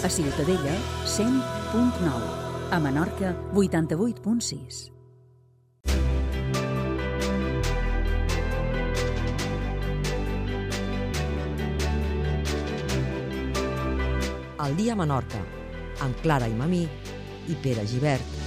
A Ciutadella, 100.9. A Menorca, 88.6. El dia a Menorca, amb Clara i Mamí i Pere Gibert.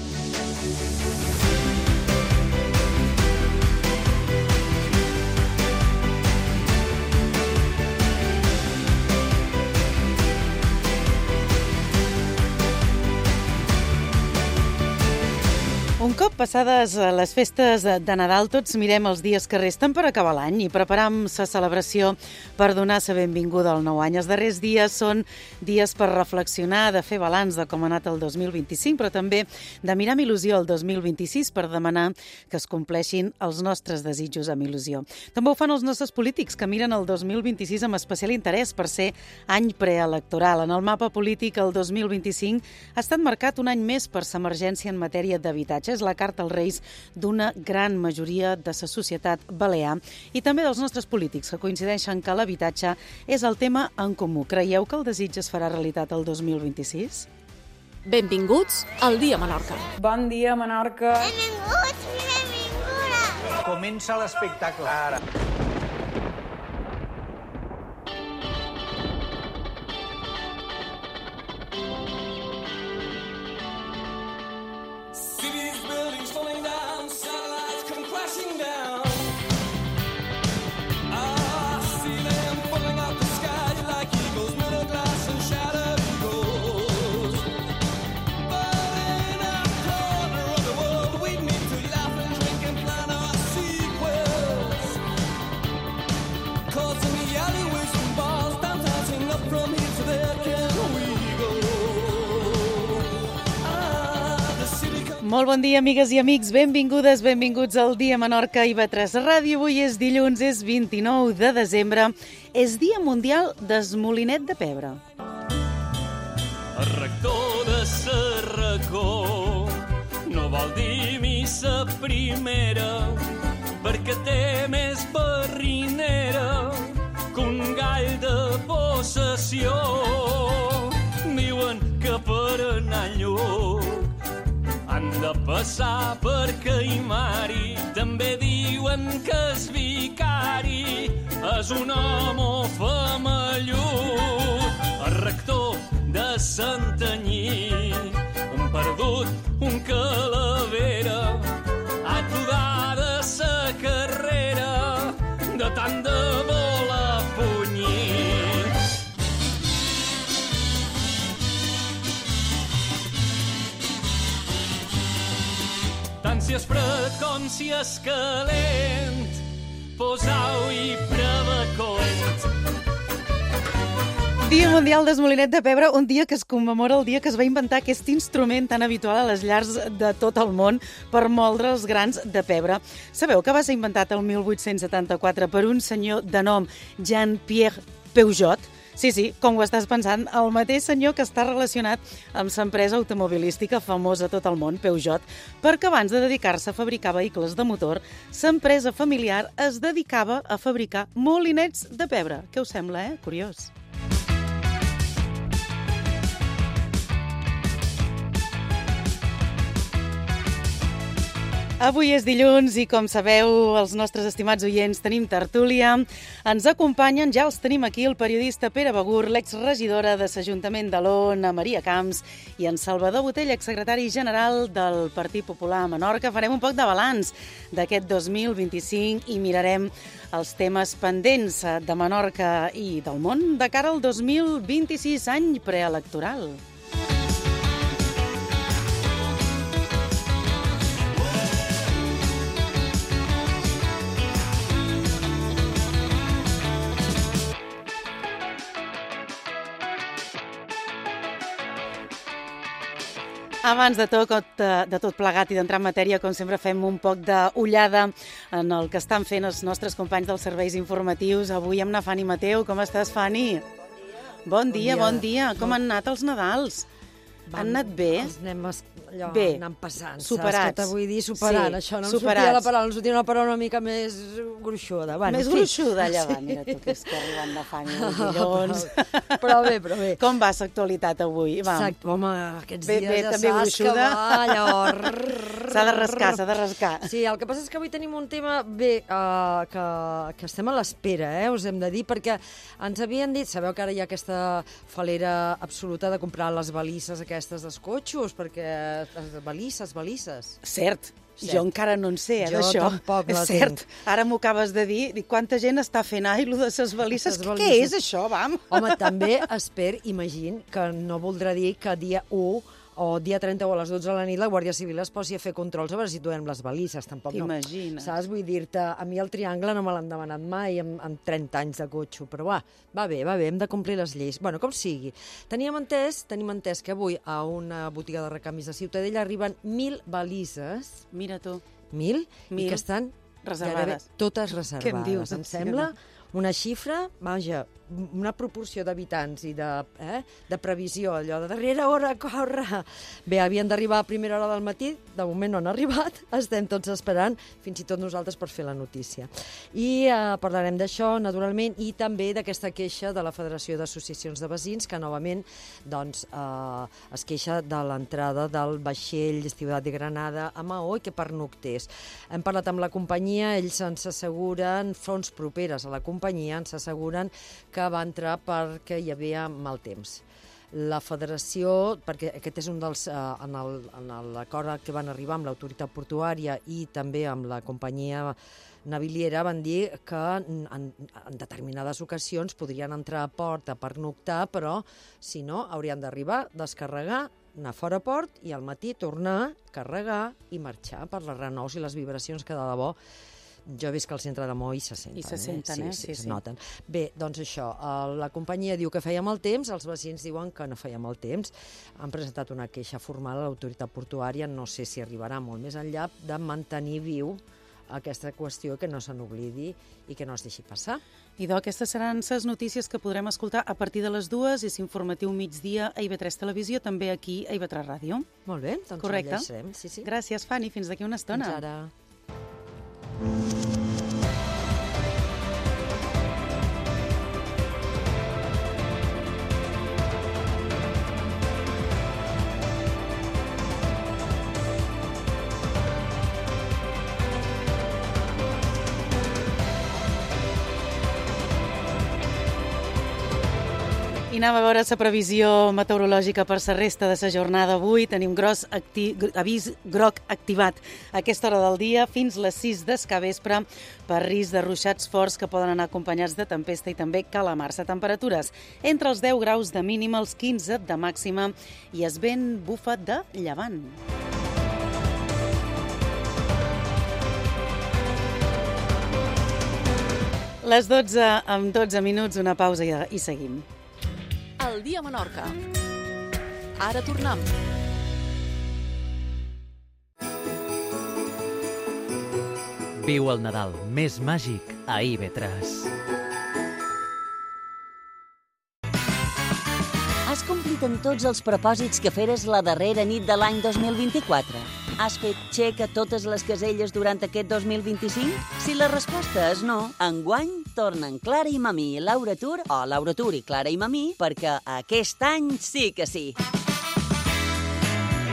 Un cop passades les festes de Nadal, tots mirem els dies que resten per acabar l'any i preparam la celebració per donar la benvinguda al nou any. Els darrers dies són dies per reflexionar, de fer balanç de com ha anat el 2025, però també de mirar amb il·lusió el 2026 per demanar que es compleixin els nostres desitjos amb il·lusió. També ho fan els nostres polítics, que miren el 2026 amb especial interès per ser any preelectoral. En el mapa polític, el 2025 ha estat marcat un any més per l'emergència en matèria d'habitatge. És la carta als Reis d'una gran majoria de la societat balear i també dels nostres polítics, que coincideixen que l'habitatge és el tema en comú. Creieu que el desig es farà realitat el 2026? Benvinguts al Dia Menorca. Bon dia, Menorca. Benvinguts i benvingudes. Comença l'espectacle. Ara. Molt bon dia, amigues i amics. Benvingudes, benvinguts al Dia Menorca i IB3 Ràdio. Avui és dilluns, és 29 de desembre. És Dia Mundial del Molinet de Pebre. El rector de Sarracó no vol dir missa primera perquè té més barrinera que un gall de possessió. Diuen que per anar lluny han de passar per Caimari. També diuen que el vicari és un home femellut. El rector de Santanyí, un perdut, un calavera, aturada sa carrera de tant de voler punyir. Tant si és fred com si és calent, posau-hi prevacoent. Dia Mundial del Molinet de Pebre, un dia que es commemora el dia que es va inventar aquest instrument tan habitual a les llars de tot el món per moldre els grans de pebre. Sabeu que va ser inventat el 1874 per un senyor de nom Jean-Pierre Peugeot? Sí, com ho estàs pensant, el mateix senyor que està relacionat amb l'empresa automobilística famosa a tot el món, Peugeot, perquè abans de dedicar-se a fabricar vehicles de motor, l'empresa familiar es dedicava a fabricar molinets de pebre. Què us sembla, Curiós. Avui és dilluns i, com sabeu, els nostres estimats oients tenim tertúlia. Ens acompanyen, ja els tenim aquí, el periodista Pere Begur, l'exregidora de l'Ajuntament d'Alona, Maria Camps, i en Salvador Botell, exsecretari general del Partit Popular a Menorca. Farem un poc de balanç d'aquest 2025 i mirarem els temes pendents de Menorca i del món de cara al 2026, any preelectoral. Abans de tot plegat i d'entrar en matèria, com sempre fem un poc d'ullada en el que estan fent els nostres companys dels serveis informatius. Avui amb na Fanny Mateu. Com estàs, Fanny? Bon dia. Com han anat els Nadals? Han anat bé? allò, Bé, anant passant. superats. Saps què t'vull dir? Superant, Sí, això. No em superats. sortia la paraula, em sortia una paraula una mica més gruixuda. Bueno, Més en fi. gruixuda, allà va. Mira tu, que és que arriben de fang i dilluns. Però bé. Com va l'actualitat avui? Va. Exacte, home, aquests Bé, dies ja també saps gruixuda. que va allò... S'ha de rascar. Sí, el que passa és que avui tenim un tema, que estem a l'espera, us hem de dir, perquè ens havien dit, sabeu que ara hi ha aquesta falera absoluta de comprar les balisses aquestes dels cotxos, perquè balisses. Cert. Jo encara no en sé, Jo d'això. tampoc la Cert. tinc. Ara m'ho acabes de dir. Dic, quanta gent està fent lo de ses balisses. Les Què balisses. és això, vam? Home, també imagino, que no voldrà dir que dia 1 o dia 30 o a les 12 de la nit la Guàrdia Civil es posi a fer controls a veure si trobem les balisses, tampoc no. T'imagines. Saps? Vull dir-te, a mi el triangle no me l'han demanat mai en 30 anys de cotxe, però va bé, hem de complir les lleis. Bueno, com sigui. Tenim entès que avui a una botiga de recanvis de Ciutadella arriben 1.000 balises, Mira tu. 1.000, i 1.000 que estan reservades. gairebé totes reservades. Què em dius? Em sembla una xifra, vaja, una proporció d'habitants i de previsió, allò de darrera hora, corre. Bé, havien d'arribar a primera hora del matí, de moment no han arribat, estem tots esperant, fins i tot nosaltres per fer la notícia. I parlarem d'això, naturalment, i també d'aquesta queixa de la Federació d'Associacions de Veïns, que novament doncs, es queixa de l'entrada del vaixell Ciutat de Granada a Maó i que pernoctés. Hem parlat amb la companyia, ells ens asseguren, fonts properes a la companyia, ens asseguren que va entrar perquè hi havia mal temps. La federació, perquè aquest és un dels, en l'acord que van arribar amb l'autoritat portuària i també amb la companyia naviliera, van dir que en determinades ocasions podrien entrar a port a pernoctar, però si no haurien d'arribar, descarregar, anar fora a port i al matí tornar, carregar i marxar per les renous i les vibracions que de debò jo he vist que al centre de Maó se senten. I se senten, Sí, se noten. Bé, doncs això, la companyia diu que feia mal temps, els veïns diuen que no feia mal temps. Han presentat una queixa formal a l'autoritat portuària, no sé si arribarà molt més enllà, de mantenir viu aquesta qüestió, que no se n'oblidi i que no es deixi passar. Idò, aquestes seran les notícies que podrem escoltar a partir de les 2, és informatiu migdia a IB3 Televisió, també aquí a IB3 Ràdio. Molt bé, doncs Correcte. ho llegirem. Sí. Gràcies, Fanny, fins d'aquí una estona. Fins ara. I anem a veure la previsió meteorològica per la resta de la jornada avui. Tenim avís groc activat a aquesta hora del dia fins les 6 del capvespre per risc de ruixats forts que poden anar acompanyats de tempesta i també calamar-se. Temperatures entre els 10 graus de mínima, els 15 de màxima i es vent bufa de llevant. Les 12 amb 12 minuts, una pausa i seguim. El dia a Menorca. Ara tornem. Viu el Nadal més màgic a IB3. Has complit en tots els propòsits que feres la darrera nit de l'any 2024? Has fet xec a totes les caselles durant aquest 2025? Si la resposta és no, enguany tornen Clara i Mamí, Laura Tur o Laura Tur i Clara i Mamí, perquè aquest any sí que sí.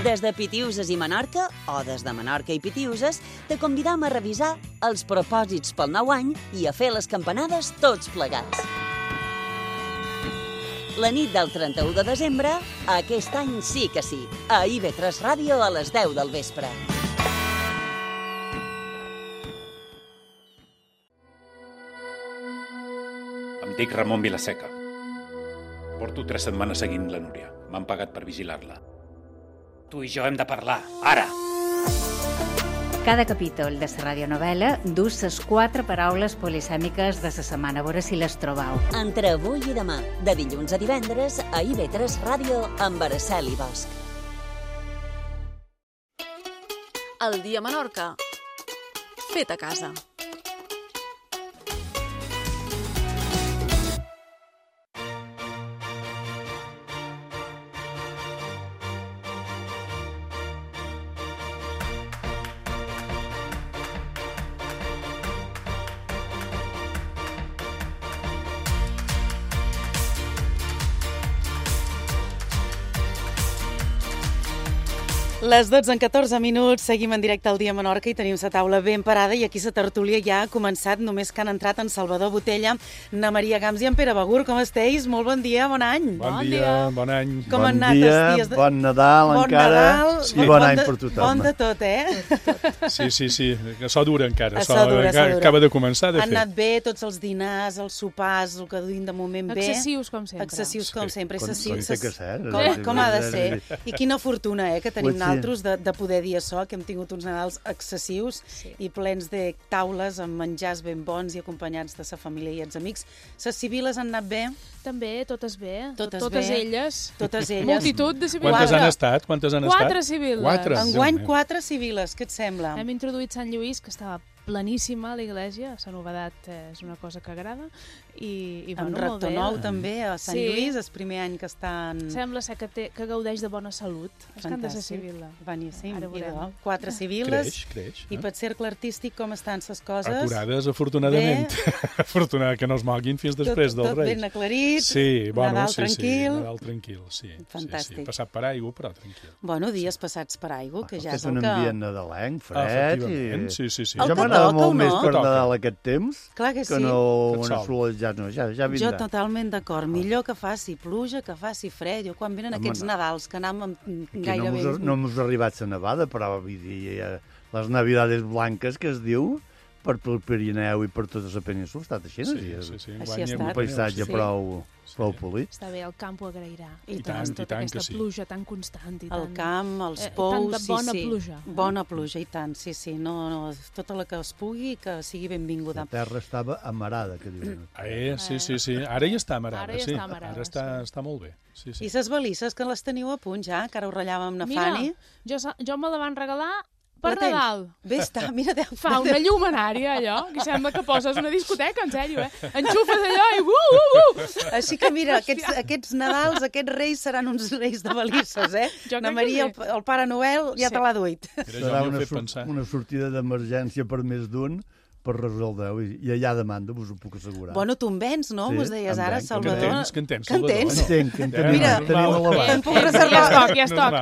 Des de Pitiuses i Menorca, o des de Menorca i Pitiuses, te convidam a revisar els propòsits pel nou any i a fer les campanades tots plegats. La nit del 31 de desembre, aquest any sí que sí, a IB3 Ràdio a les 10 del vespre. Em dic Ramon Vilaseca. Porto 3 setmanes seguint la Núria. M'han pagat per vigilar-la. Tu i jo hem de parlar, ara! Cada capítol de la radionovel·la dus les 4 paraules polisèmiques de la setmana, a veure si les trobau. Entre avui i demà, de dilluns a divendres, a IB3 Ràdio amb Araceli Bosch. El dia a Menorca. Fet a casa. Les 12 en 14 minuts, seguim en directe al Dia Menorca i tenim la taula ben parada i aquí la tertúlia ja ha començat, només que han entrat en Salvador Botella, na Maria Gams i en Pere Begur. Com esteu? Molt bon dia, bon any. Bon dia, bon any. Com han anat els dies? Bon Nadal encara i bon any per tothom. Bon de tot, Sí, que això dura encara. Acaba de començar, de fet. Han anat bé tots els dinars, els sopars, el que duim de moment bé. Excessius, com sempre. Excessius, com sempre. Com ha de ser. I quina fortuna, que tenim nosaltres de poder dir això, que hem tingut uns Nadals excessius i plens de taules amb menjars ben bons i acompanyats de sa família i els amics. Les civiles han anat bé? També, totes bé. Totes elles. Multitud de civiles. Quantes han estat? 4 civiles. Enguany 4 civiles, què et sembla? Hem introduït Sant Lluís, que estava planíssima a l'església, la novedat és una cosa que agrada i amb rector nou també a Sant Lluís, el primer any que estan... Sembla ser que gaudeix de bona salut. És que han de ser civil. Boníssim. 4 civiles. Creix. I per cercle artístic com estan les coses? Aturades, afortunadament. Afortunada que no es moguin fins després dels Reis. Tot ben aclarit, Nadal tranquil. Nadal tranquil, sí. Fantàstic. Passat per aigua, però tranquil. Bueno, dies passats per aigua, que ja és el que... És un ambient nadalenc, fred. Sí. Jo m'agrada molt més per Nadal aquest temps que no una solejat. Ja vindrà. Jo totalment d'acord. Millor que faci pluja, que faci fred. Jo quan venen aquests Nadals que anem gairebé... No m'ha arribat la nevada, però vull dir, les Navidades blanques que es diu per pel Pirineu i per tota la península ha estat així. Així ha estat. Un paisatge prou polit. Està bé, el camp ho agrairà. I tant, tota aquesta pluja tan constant. El camp, els pous, tanta bona pluja. Bona pluja, i tant, sí. No, tota la que es pugui, que sigui benvinguda. La terra estava amarada, que diuen. Sí. Ara ja està amarada, sí. Ara està molt bé. I les balisses, que les teniu a punt ja, que ara ho ratllàvem amb na Fanny? Mira, jo me la van regalar per Nadal. Bé està, mira. Fa una llumenària, allò, que sembla que poses una discoteca, en sèrio, Enxufes allò i Així que mira, aquests Nadals, aquests Reis seran uns Reis de balisses, Na Maria, el Pare Noel, ja te l'ha duit. Serà una sortida d'emergència per més d'un, per resoldre-ho, i allà demanda, us ho puc assegurar. Bueno, tu en vens, no? M'ho deies ara, Salvador. Que entens, Salvador. Entenc. Mira, te'n puc reservar. Ja es toc.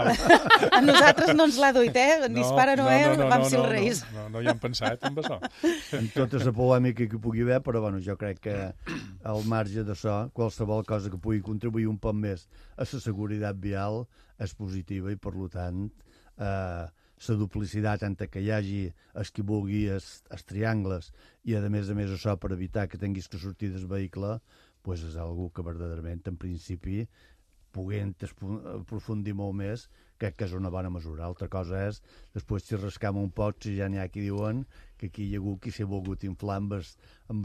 A nosaltres no ens l'ha duit, Ni Pare Noel, vam ser els Reis. No hi hem pensat, en això. En tota la polèmica que hi pugui haver, però jo crec que al marge d'això, qualsevol cosa que pugui contribuir un poc més a la seguretat vial és positiva i, per tant, la duplicitat entre que hi hagi el que vulgui els triangles i a més això per evitar que tinguis que sortir del vehicle, és algo que verdaderament en principi puguent aprofundir molt més, crec que és una bona mesura. Altra cosa és, després si rascam un poc, si ja n'hi ha qui diuen que aquí hi ha hagut qui s'ha volgut inflar amb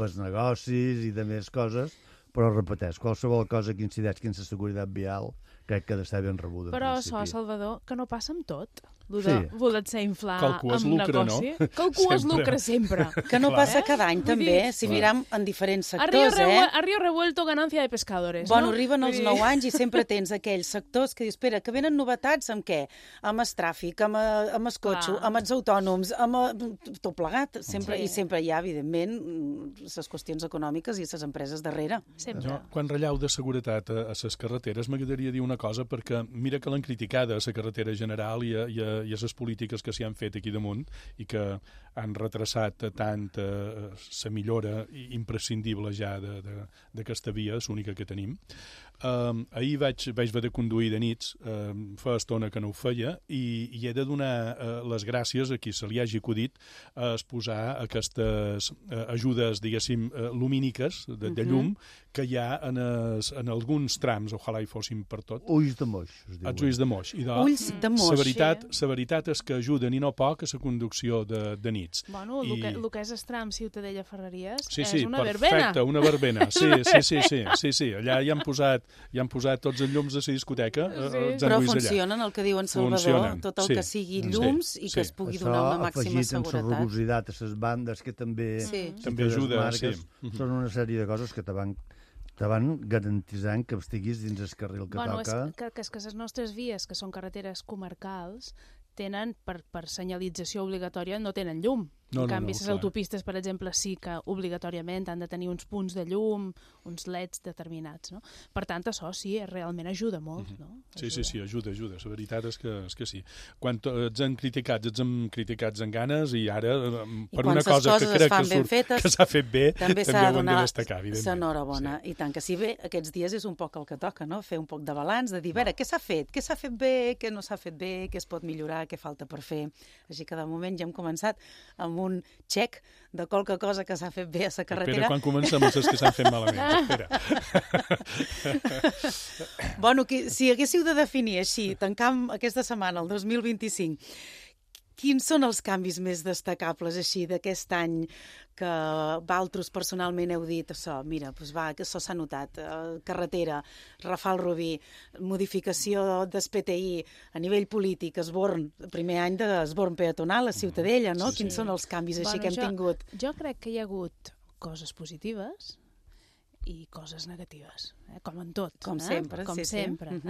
els negocis i de més coses, però repeteix, qualsevol cosa que incideix en la seguretat vial crec que ha d'estar ben rebuda. Però això, Salvador, que no passa amb tot. Voler-se inflar amb negoci. No? Calcues lucre sempre. Que no passa cada any, també, si miram en diferents sectors, A río revuelto, ganancia de pescadores. Bueno, arriben els 9 anys i sempre tens aquells sectors que dius, espera, que venen novetats amb què? Amb el tràfic, amb el cotxe, amb els autònoms, amb tot plegat. I sempre hi ha, evidentment, les qüestions econòmiques i les empreses darrere. Quan rellau de seguretat a les carreteres, m'agradaria dir una cosa, perquè mira que l'han criticada a la carretera general i a les polítiques que s'hi han fet aquí damunt i que han retrasat tant la millora imprescindible ja d'aquesta via, és l'única que tenim. Ahir vaig haver de conduir de nits, fa estona que no ho feia, i he de donar les gràcies a qui se li hagi acudit a exposar aquestes ajudes, diguéssim, lumíniques de llum que hi ha en alguns trams, ojalà hi fossin per tot. Ulls de moix, es diu. Els ulls de moix. Ulls de moix. La veritat és que ajuden i no poc a la conducció de nits. Bueno, el que és el tram Ciutadella Ferreries és una verbena. Perfecte, una verbena. Sí. Allà hi han posat tots els llums de la discoteca. Però funcionen, el que diuen Salvador, tot el que sigui llums i que es pugui donar una màxima seguretat. Això, afegit en la rugositat a les bandes, que també ajuda. Són una sèrie de coses que te van garantitzant que estiguis dins el carril que toca. És que les nostres vies, que són carreteres comarcals, tenen, per senyalització obligatòria, no tenen llum. En canvi, les autopistes, per exemple, sí que obligatòriament han de tenir uns punts de llum, uns leds determinats, no? Per tant, això sí, realment ajuda molt, no? Sí, ajuda. La veritat és que sí. Quan ens han criticats en ganes i ara, per una cosa que crec que s'ha fet bé, també ho hem de destacar, evidentment. L'enhorabona. I tant que sí, bé, aquests dies és un poc el que toca, no? Fer un poc de balanç, de dir, a veure, què s'ha fet? Què s'ha fet bé? Què no s'ha fet bé? Què es pot millorar? Què falta per fer? Així que de moment ja hem començat amb un xec de qualque cosa que s'ha fet bé a la carretera. Espera, quan comencem els que s'han fet malament. Espera. Bueno, si haguéssiu de definir així, tancant aquesta setmana, el 2025, quins són els canvis més destacables així d'aquest any que vosaltres personalment heu dit això? Mira, doncs va, que això s'ha notat. Carretera, Rafal Rubí, modificació del PTI a nivell polític, primer any d'esborn peatonal a Ciutadella, no? Quins són els canvis així que hem tingut? Jo crec que hi ha hagut coses positives i coses negatives, com en tot. Com sempre. Com sempre.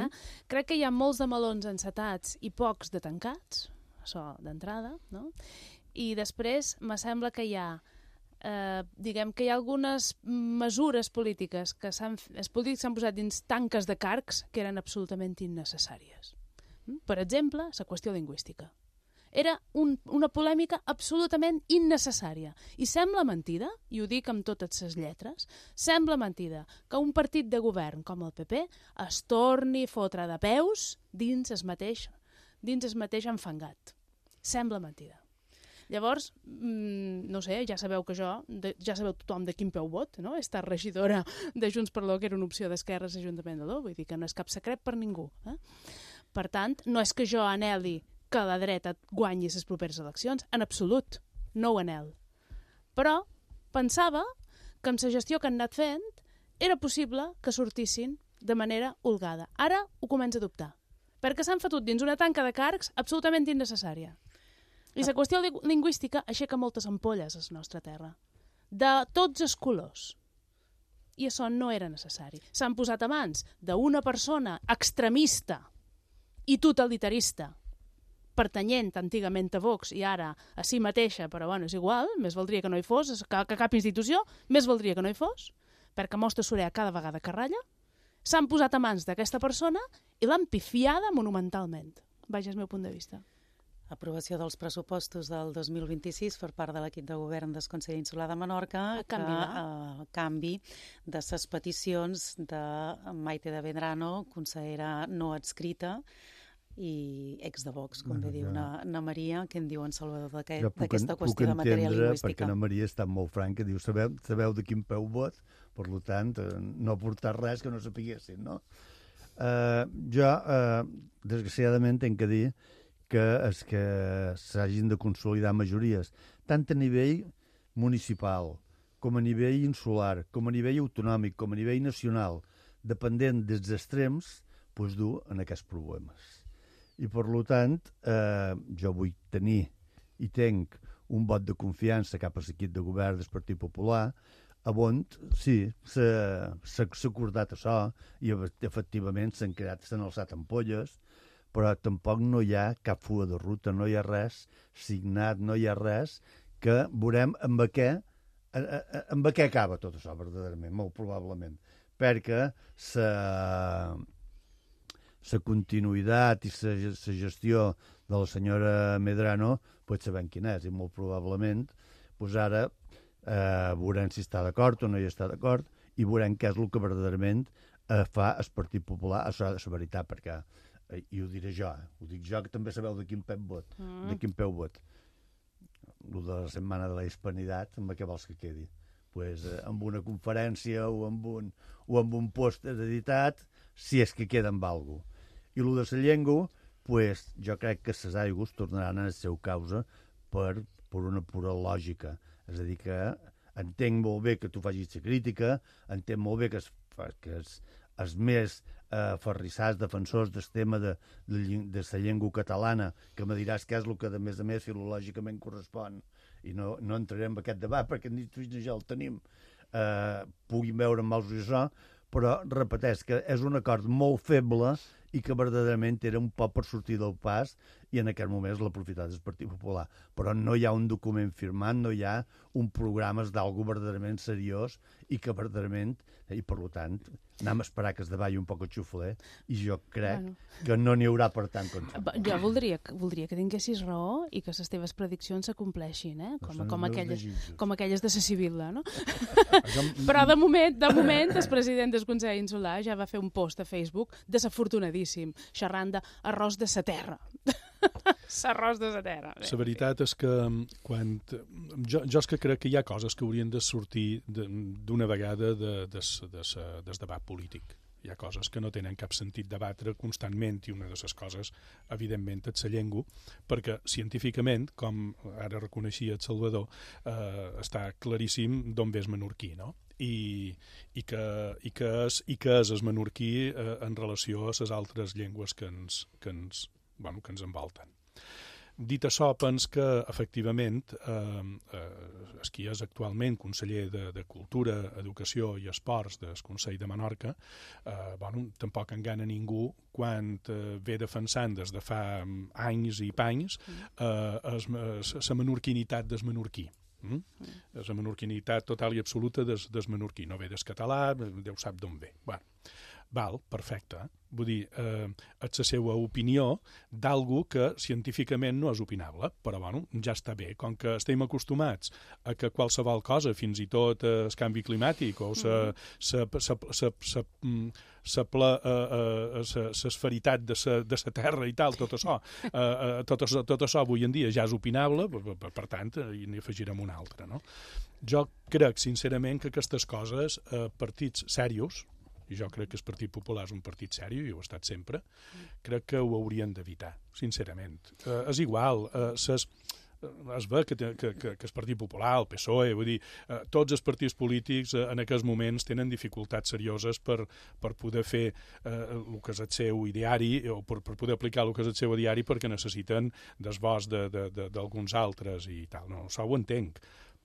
Crec que hi ha molts de melons encetats i pocs de tancats, això d'entrada, no? I després me sembla que hi ha diguem que hi ha algunes mesures polítiques que els polítics s'han posat dins tanques de carcs que eren absolutament innecessàries. Per exemple, la qüestió lingüística. Era una polèmica absolutament innecessària. I sembla mentida, i ho dic amb totes les lletres, sembla mentida que un partit de govern com el PP es torni a fotre de peus dins el mateix enfangat. Sembla mentida. Llavors, no sé, ja sabeu tothom de quin peu vot, no? He estat regidora de Junts per l'O, que era una opció d'esquerres a l'Ajuntament de l'O, vull dir que no és cap secret per ningú. Per tant, no és que jo anheli que la dreta guanyi les properes eleccions, en absolut, no ho anhel. Però pensava que amb la gestió que han anat fent era possible que sortissin de manera holgada. Ara ho començo a dubtar, perquè s'han fotut dins una tanca de carcs absolutament innecessària. I la qüestió lingüística aixeca moltes ampolles a la nostra terra, de tots els colors. I això no era necessari. S'han posat a mans d'una persona extremista i totalitarista, pertanyent antigament a Vox i ara a si mateixa, però bueno, és igual, més valdria que no hi fos, que cap institució, més valdria que no hi fos, perquè mostra Sorea cada vegada que ratlla, s'han posat a mans d'aquesta persona i l'han pifiada monumentalment. Vaja, és el meu punt de vista. Aprovació dels pressupostos del 2026 per part de l'equip de govern del Consell Insular de Menorca, canvi de les peticions de Maite de Medrano, consellera no adscrita i ex de Vox, com bé diu na Maria, què en diu en Salvador d'aquesta qüestió de matèria lingüística. Perquè na Maria està molt franca, diu, sabeu de quin peu vot, per tant, no ha portat res que no sapiguessin, no? Jo, desgraciadament, tenc que dir que és que s'hagin de consolidar majories, tant a nivell municipal, com a nivell insular, com a nivell autonòmic, com a nivell nacional, dependent dels extrems, doncs dur en aquests problemes. I, per tant, jo vull tenir i tenc un vot de confiança cap a l'equip de govern del Partit Popular, on sí, s'ha acordat això i efectivament s'han alçat ampolles, però tampoc no hi ha cap fuga de ruta, no hi ha res signat, no hi ha res que veurem amb què acaba tot això, verdaderament, molt probablement, perquè la continuïtat i la gestió de la senyora Medrano pot saber quina és, i molt probablement doncs ara veurem si està d'acord o no hi està d'acord i veurem què és el que verdaderament fa el Partit Popular, això és la veritat, perquè i ho diré jo, ho dic jo, que també sabeu de quin peu vot. El de la setmana de la hispanitat, amb què vols que quedi? Pues, amb una conferència o amb un post editat, si és que queda amb alguna cosa. I el de la llengua, pues, jo crec que les aigües tornaran a la seva causa per una pura lògica. És a dir, que entenc molt bé que tu facis la crítica, entenc molt bé que els més ferrissats defensors del tema de la llengua catalana, que me diràs què és el que a més filològicament correspon, i no entrarem en aquest debat perquè ni tu ni jo el tenim, puguin veure amb els això, però repeteix que és un acord molt feble i que verdaderament era un poc per sortir del pas i en aquest moment l'aprofitat del Partit Popular. Però no hi ha un document firmat, no hi ha un programa d'algú verdaderament seriós i que verdaderament, i per tant, anem a esperar que es davalli un poc el xufler i jo crec que no n'hi haurà per tant com sempre. Jo voldria que tinguessis raó i que les teves prediccions s'acompleixin, com aquelles de la Sibil·la, no? Però de moment el president del Consell Insular ja va fer un post a Facebook desafortunadíssim, xerrant d'arròs de sa terra. S'arròs de la terra. La veritat és que jo és que crec que hi ha coses que haurien de sortir d'una vegada del debat polític. Hi ha coses que no tenen cap sentit debatre constantment i una de les coses, evidentment, és la llengua, perquè científicament, com ara reconeixia el Salvador, està claríssim d'on ve el menorquí, no? I que és el menorquí en relació a les altres llengües que ens envolten. Dit això, pens que, efectivament, el qui és actualment conseller de Cultura, Educació i Esports del Consell de Menorca, tampoc engana ningú quan ve defensant des de fa anys i panys la menorquinitat del menorquí. És la menorquinitat total i absoluta del menorquí. No ve del català, Déu sap d'on ve. Val, perfecte. Vull dir, és la seva opinió d'algú que científicament no és opinable, però ja està bé. Com que estem acostumats a que qualsevol cosa, fins i tot el canvi climàtic o l'esferitat de la Terra i tal, tot això avui en dia ja és opinable, per tant, n'hi afegirem una altra. No? Jo crec, sincerament, que aquestes coses, partits serios, i jo crec que el Partit Popular és un partit seri, i ho ha estat sempre, crec que ho haurien d'evitar, sincerament. És igual, es ve que el Partit Popular, el PSOE, vull dir, tots els partits polítics en aquests moments tenen dificultats serioses per poder fer el que és el seu ideari, o per poder aplicar el que és el seu ideari, perquè necessiten desbós d'alguns altres i tal. No, això ho entenc.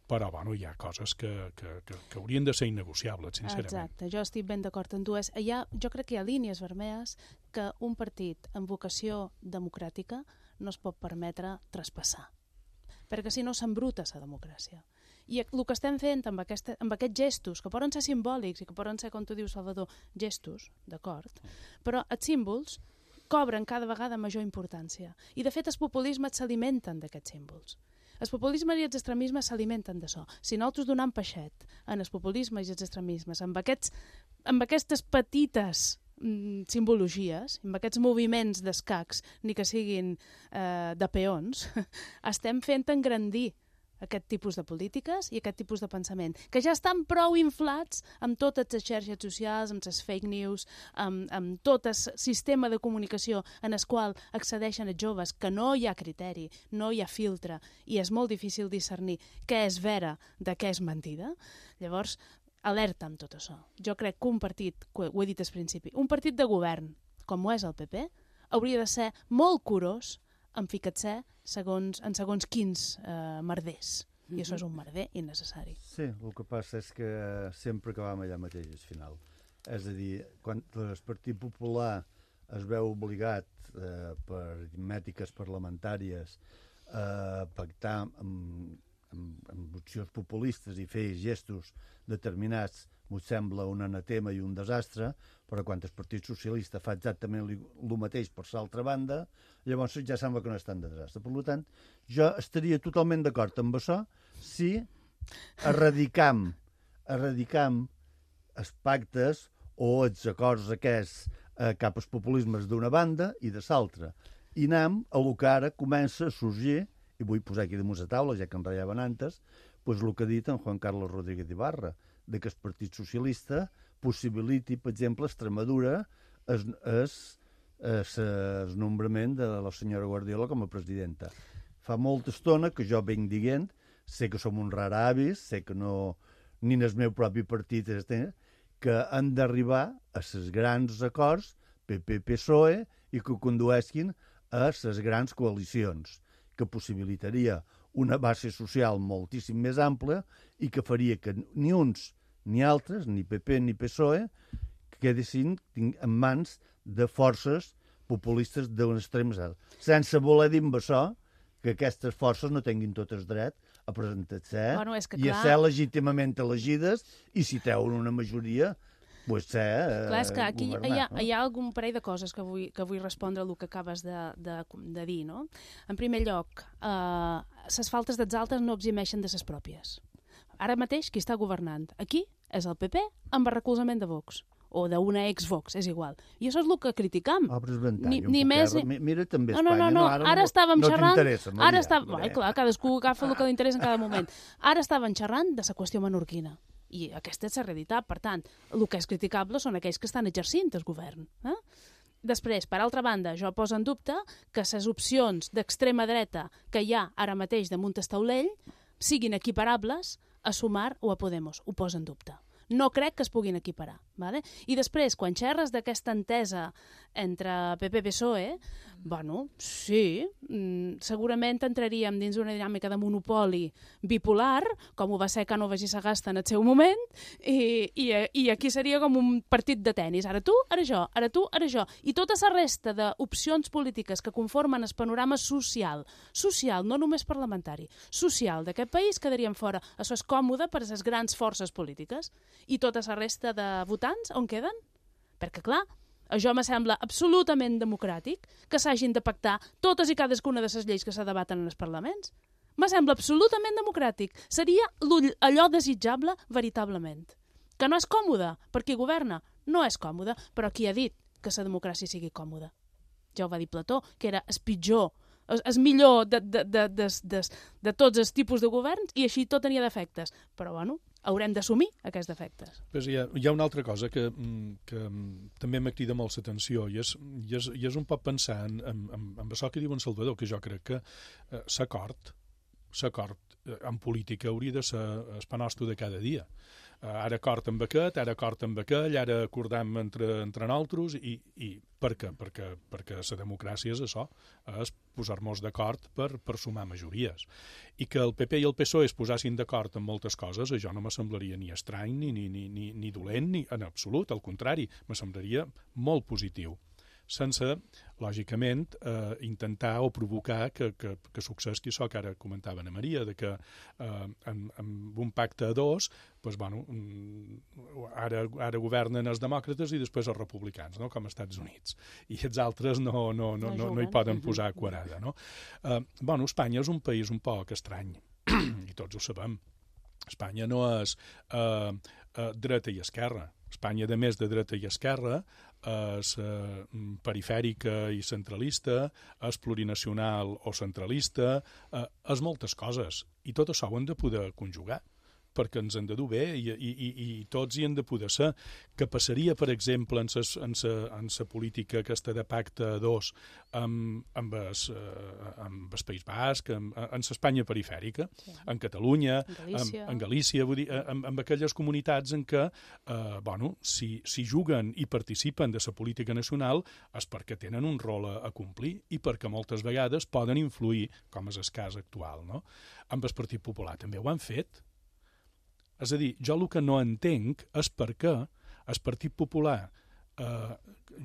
Però, hi ha coses que haurien de ser innegociables, sincerament. Exacte, jo estic ben d'acord amb tu. Jo crec que hi ha línies vermelles que un partit amb vocació democràtica no es pot permetre traspassar, perquè si no s'embruta la democràcia. I el que estem fent amb aquests gestos, que poden ser simbòlics i que poden ser, com tu dius, Salvador, gestos, d'acord, però els símbols cobren cada vegada major importància. I, de fet, els populismes s'alimenten d'aquests símbols. El populisme i els extremismes s'alimenten d'això. Si nosaltres donem peixet en el populisme i els extremismes, amb aquestes petites simbologies, amb aquests moviments d'escacs, ni que siguin de peons, estem fent engrandir aquest tipus de polítiques i aquest tipus de pensament, que ja estan prou inflats amb totes les xarxes socials, amb les fake news, amb tot el sistema de comunicació en el qual accedeixen els joves, que no hi ha criteri, no hi ha filtre, i és molt difícil discernir què és vera de què és mentida. Llavors, alerta amb tot això. Jo crec que un partit, ho he dit al principi, un partit de govern, com ho és el PP, hauria de ser molt curós en ficar-se en segons quins merders. I això és un merder innecessari. Sí, el que passa és que sempre acabam allà mateix al final. És a dir, quan el Partit Popular es veu obligat per mètriques parlamentàries a pactar amb opcions populistes i fer gestos determinats, m'ho sembla un anatema i un desastre, però quan el Partit Socialista fa exactament el mateix per l'altra banda, llavors ja sembla que no és tan de desastre. Per tant, jo estaria totalment d'acord amb això si erradicam els pactes o els acords aquests cap als populismes d'una banda i de l'altra. I anem a lo que ara comença a sorgir, i vull posar aquí damunt la taula, ja que en ratllaven antes, doncs el que ha dit en Juan Carlos Rodríguez Ibarra, de que el Partit Socialista possibiliti, per exemple, a Extremadura el nombrament de la senyora Guardiola com a presidenta. Fa molta estona que jo venc dient, sé que som uns raravis, sé que no, ni en el meu propi partit, que han d'arribar a els grans acords PP-PSOE i que condueixin a les grans coalicions, que possibilitaria una base social moltíssim més ampla i que faria que ni uns ni altres, ni PP ni PSOE, quedessin en mans de forces populistes d'un extrem zero. Sense voler dir amb això que aquestes forces no tinguin totes dret a presentar-se i a ser legítimament elegides, i si treuen una majoria, pues ser clar, és que aquí governar, hi ha algun parell de coses que vull respondre al que acabes de dir, no? En primer lloc, les faltes dels altres no eximeixen de les pròpies. Ara mateix, qui està governant aquí és el PP amb el recolzament de Vox, o d'una ex-Vox, és igual. I això és el que criticam. Ni més... Mira també Espanya. No, ara estàvem xerrant... No t'interessa. Clar, cadascú agafa el que li interessa en cada moment. Ara estàvem xerrant de la qüestió menorquina. I aquesta és la realitat. Per tant, el que és criticable són aquells que estan exercint el govern. Després, per altra banda, jo poso en dubte que les opcions d'extrema dreta que hi ha ara mateix damunt el taulell siguin equiparables a Sumar o a Podemos. Ho poso en dubte. No crec que es puguin equiparar. Vale? I després, quan xerres d'aquesta entesa entre PP i PSOE, bueno, sí, segurament entraríem dins una dinàmica de monopoli bipolar, com ho va ser Cánovas i Sagasta en el seu moment, i aquí seria com un partit de tennis. Ara tu, ara jo, ara tu, ara jo. I tota la resta d'opcions polítiques que conformen el panorama social, no només parlamentari, social d'aquest país, quedarien fora. Això és còmode per a les grans forces polítiques. I tota la resta de votants on queden? Perquè, clar, això me sembla absolutament democràtic que s'hagin de pactar totes i cadascuna de les lleis que se debaten en els parlaments. Me sembla absolutament democràtic. Seria allò desitjable veritablement. Que no és còmode per qui governa? No és còmode, però qui ha dit que la democràcia sigui còmoda? Ja ho va dir Plató, que era el pitjor, el millor de tots els tipus de governs, i així tot tenia defectes. Però, bueno, haurem d'assumir aquests defectes. Pues hi ha una altra cosa que també m'ha cridat molt l'atenció, i és un poc pensar en això que diu en Salvador, que jo crec que l'acord en política hauria de ser el pa nostre de cada dia. Ara acord amb aquest, ara acord amb aquell, ara acordam entre nosaltres, i per què? Perquè la democràcia és això, és posar-nos d'acord per sumar majories. I que el PP i el PSOE es posassin d'acord en moltes coses, això no me semblaria ni estrany, ni dolent, ni en absolut, al contrari, me semblaria molt positiu, sense, lògicament, intentar o provocar que successi això que ara comentava Ana Maria, de que amb un pacte a dos, doncs, bueno, ara governen els demòcrates i després els republicans, no? Com als Estats Units. I els altres no hi poden posar quadrada, no? Bueno, Espanya és un país un poc estrany, i tots ho sabem. Espanya no és dreta i esquerra. Espanya, a més de dreta i esquerra, és perifèrica i centralista, és plurinacional o centralista, és moltes coses. I tot això ho hem de poder conjugar, perquè ens han de dur bé i tots hi han de poder ser. Que passaria, per exemple, en la política aquesta de pacte a dos amb el País Basc, en l'Espanya perifèrica, sí, en Catalunya, en Galícia, vull dir, amb aquelles comunitats en què, si juguen i participen de la política nacional és perquè tenen un rol a complir i perquè moltes vegades poden influir, com és el cas actual, no? Amb el Partit Popular també ho han fet. És a dir, jo el que no entenc és per què el Partit Popular,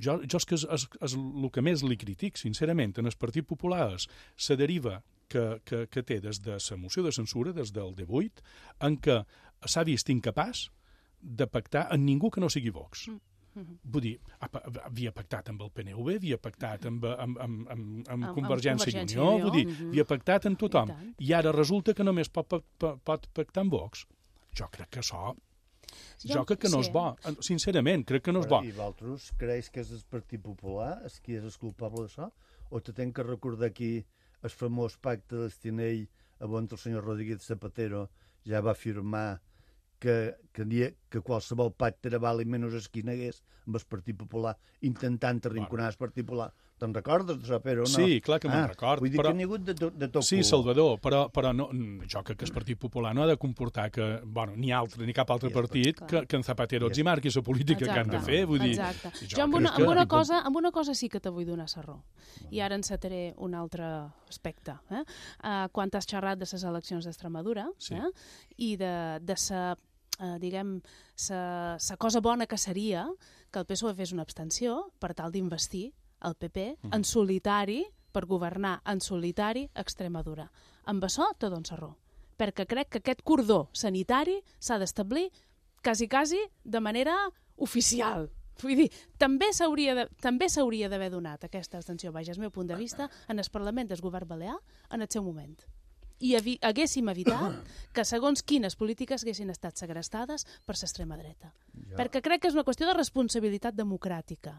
jo és que és el que més li critic, sincerament, en el Partit Popular és la deriva que té des de la moció de censura, des del 18, en què s'ha vist incapaç de pactar amb ningú que no sigui Vox. Vull dir, havia pactat amb el PNV, havia pactat amb Convergència i Unió, vull dir, havia pactat amb tothom, i ara resulta que només pot pactar amb Vox. Jo crec que això... Jo crec que no és bo. Sincerament, crec que no és bo. I vosaltres creus que és el Partit Popular qui és el culpable d'això? O te tenc que recordar aquí el famós pacte d'Estinell on el senyor Rodríguez Zapatero ja va afirmar que qualsevol pacte era vàlid menys el que hi hagués amb el Partit Popular, intentant arrinconar el Partit Popular. Te'n recordes d'això, però no? Sí, clar que me'n record. Vull dir que n'hi ha hagut de tot. Sí, Salvador, però no, jo crec que el Partit Popular no ha de comportar que, ni cap altre partit que en Zapatero els hi marqui la política que han de fer. Vull dir, jo amb una cosa sí que te vull donar la raó. I ara encetaré un altre aspecte. Quan has xerrat de les eleccions d'Extremadura i de la cosa bona que seria que el PSOE fes una abstenció per tal d'investir el PP, en solitari, per governar en solitari Extremadura. Amb això te dono raó, perquè crec que aquest cordó sanitari s'ha d'establir quasi de manera oficial. Vull dir, també s'hauria d'haver donat aquesta extensió, vaja, és el meu punt de vista, en el Parlament del Govern Balear en el seu moment. I haguéssim evitat que segons quines polítiques haguessin estat segrestades per l'extrema dreta. Perquè crec que és una qüestió de responsabilitat democràtica.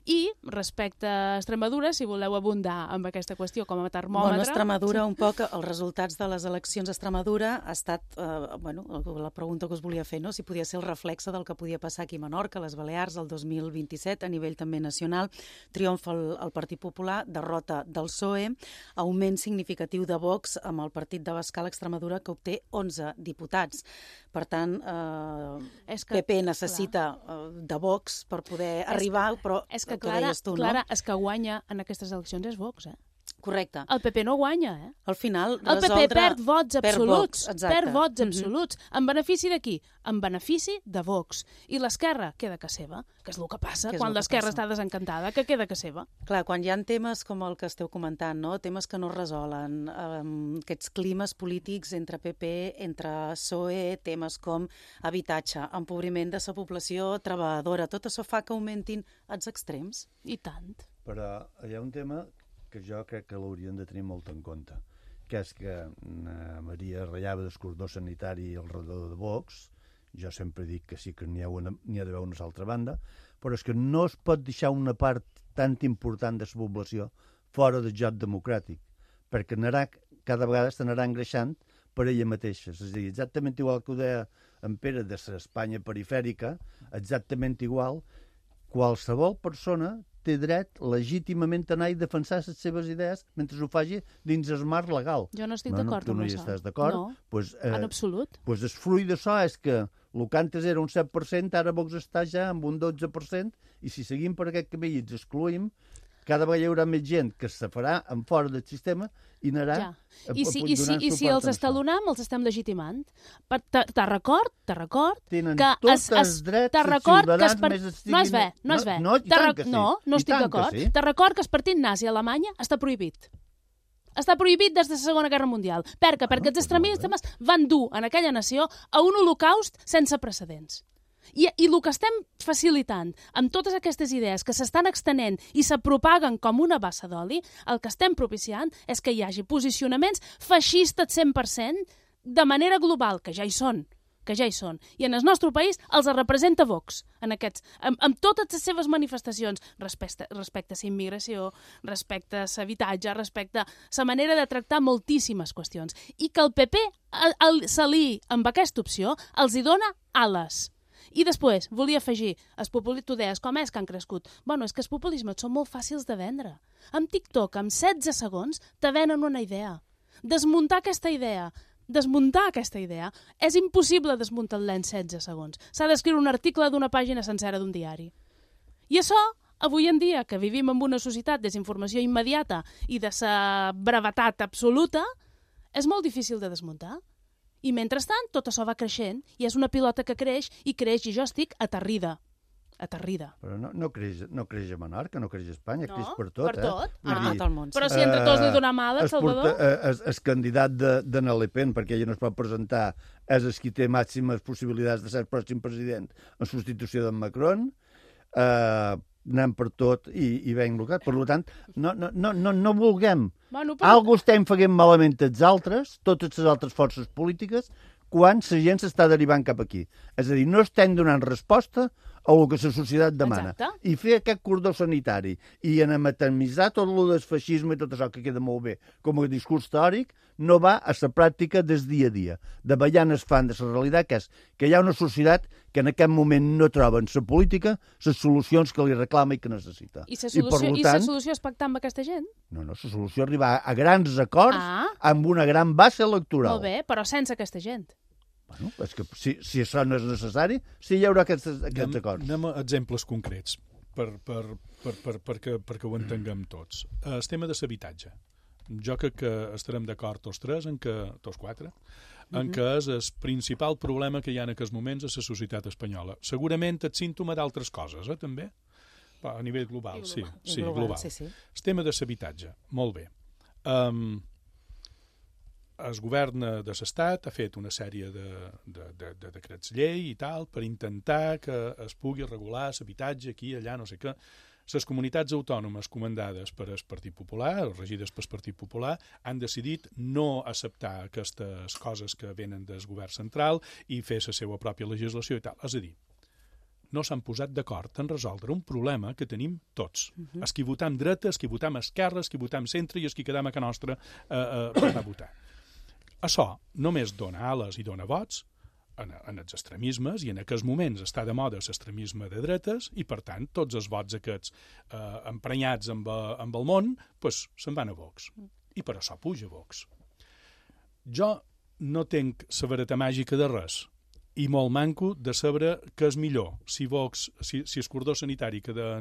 I respecte a Extremadura, si voleu abundar amb aquesta qüestió com a termòmetre... Bueno, Extremadura, un poc, els resultats de les eleccions a Extremadura ha estat, la pregunta que us volia fer, no? Si podia ser el reflexe del que podia passar aquí a Menorca, a les Balears, el 2027, a nivell també nacional. Triomfa el Partit Popular, derrota del PSOE, augment significatiu de Vox amb el Partit d'Abascal Extremadura, que obté 11 diputats. Per tant, PP necessita de Vox per poder arribar, però és que, el que deies tu, no? Clara, és que guanya en aquestes eleccions és Vox, Correcte. El PP no guanya, Al final, el PP perd vots absoluts. Perd vots absoluts. En benefici de qui? En benefici de Vox. I l'esquerra queda que seva, que és el que passa quan l'esquerra està desencantada, que queda que seva. Clar, quan hi ha temes com el que esteu comentant, no? Temes que no es resolen, aquests climes polítics entre PP, entre PSOE, temes com habitatge, empobriment de la població treballadora, tot això fa que augmentin els extrems. I tant. Però hi ha un tema que jo crec que l'haurien de tenir molt en compte, que és que Maria ratllava del cordó sanitari al redador de Vox. Jo sempre dic que sí que n'hi ha d'haver una altra banda, però és que no es pot deixar una part tan important de la població fora del joc democràtic, perquè cada vegada s'anarà engreixant per ella mateixa. És a dir, exactament igual que ho deia en Pere de l'Espanya perifèrica, exactament igual, qualsevol persona té dret legítimament a anar i defensar les seves idees mentre ho faci dins el marc legal. Jo no estic d'acord amb això. Tu no hi estàs d'acord? No, en absolut. Doncs el fruit d'això és que el que antes era un 7%, ara Vox està ja amb un 12%, i si seguim per aquest camí i ens excluïm, cada vegada hi haurà més gent que se farà en fora del sistema i anarà I si els estalonam, els estem legitimant. Te record tenen que tots els drets ciutadans més no és bé. No estic d'acord. Te record que el partit nazi a Alemanya està prohibit. Està prohibit des de la Segona Guerra Mundial. Per què? Perquè els extremistes van dur en aquella nació a un holocaust sense precedents. I el que estem facilitant amb totes aquestes idees que s'estan extenent i se propaguen com una bassa d'oli, el que estem propiciant és que hi hagi posicionaments feixistes 100% de manera global, que ja hi són. I en el nostre país els representa Vox, amb totes les seves manifestacions respecte a la immigració, respecte a l'habitatge, respecte a la manera de tractar moltíssimes qüestions. I que el PP s'aliï amb aquesta opció els hi dona ales. I després, volia afegir, tu deies, com és que han crescut? Bueno, és que els populismes són molt fàcils de vendre. Amb TikTok, amb 16 segons, te venen una idea. Desmuntar aquesta idea és impossible desmuntar-la en 16 segons. S'ha d'escriure un article d'una pàgina sencera d'un diari. I això, avui en dia, que vivim en una societat de desinformació immediata i de la brevetat absoluta, és molt difícil de desmuntar. I mentrestant, tot això va creixent, i és una pilota que creix, i jo estic aterrida. Però no creix a Menorca, no creix a Espanya, creix per tot. Per tot, tot el món. Però si entre tots li donem ales, Salvador... El candidat de Le Pen, perquè ella no es pot presentar, és el qui té màximes possibilitats de ser el pròxim president en substitució d'en Macron, anem per tot i ben blocat. Per tant, no vulguem. Algú estem fent malament els altres, totes les altres forces polítiques, quan la gent s'està derivant cap aquí. És a dir, no estem donant resposta a el que la societat demana. Exacte. I fer aquest cordó sanitari i anamatemitzar tot el del feixisme i tot això que queda molt bé com a discurs teòric no va a la pràctica del dia a dia. De ballant es fan de la realitat, que és que hi ha una societat que en aquest moment no troba en la política les solucions que li reclama i que necessita. I la solució és pactar amb aquesta gent? No, la solució és arribar a grans acords amb una gran base electoral. Molt bé, però sense aquesta gent. Bueno, és que si això no és necessari, sí hi haurà aquests acords. Anem a exemples concrets perquè ho entenguem tots. El tema de l'habitatge. Jo crec que estarem d'acord tots tres, tots quatre, en què és el principal problema que hi ha en aquests moments a la societat espanyola. Segurament és símptoma d'altres coses, també. A nivell global, sí. Global. El tema de l'habitatge, molt bé. El govern de l'Estat ha fet una sèrie de decrets llei i tal per intentar que es pugui regular l'habitatge aquí, allà, no sé què. Les comunitats autònomes comandades per el Partit Popular, o regides pel Partit Popular, han decidit no acceptar aquestes coses que venen del govern central i fer la seva pròpia legislació i tal. És a dir, no s'han posat d'acord en resoldre un problema que tenim tots. Els qui votam dreta, els qui votam esquerra, els qui votam centre i els qui quedam a casa nostra per anar a votar. Això només dona ales i dona vots en els extremismes, i en aquests moments està de moda l'extremisme de dretes, i per tant tots els vots aquests emprenyats amb el món se'n van a Vox. I per això puja Vox. Jo no tenc la vareta màgica de res, i molt manco de saber què és millor, si el cordó sanitari que de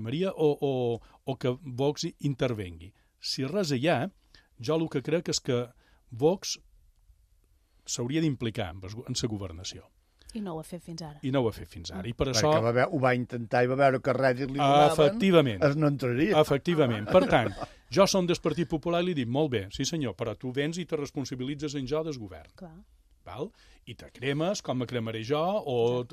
Maria o que Vox intervengui. Si res hi ha, jo el que crec és que Vox s'hauria d'implicar en la governació. I no ho ha fet fins ara. I per això... Perquè ho va intentar i va veure que res li donaven, efectivament. No entraria. Efectivament. Per tant, jo som del Partit Popular i li dic, molt bé, sí senyor, però tu vens i te responsabilitzes en jo del govern. Clar. Val? I te cremes com me cremaré jo o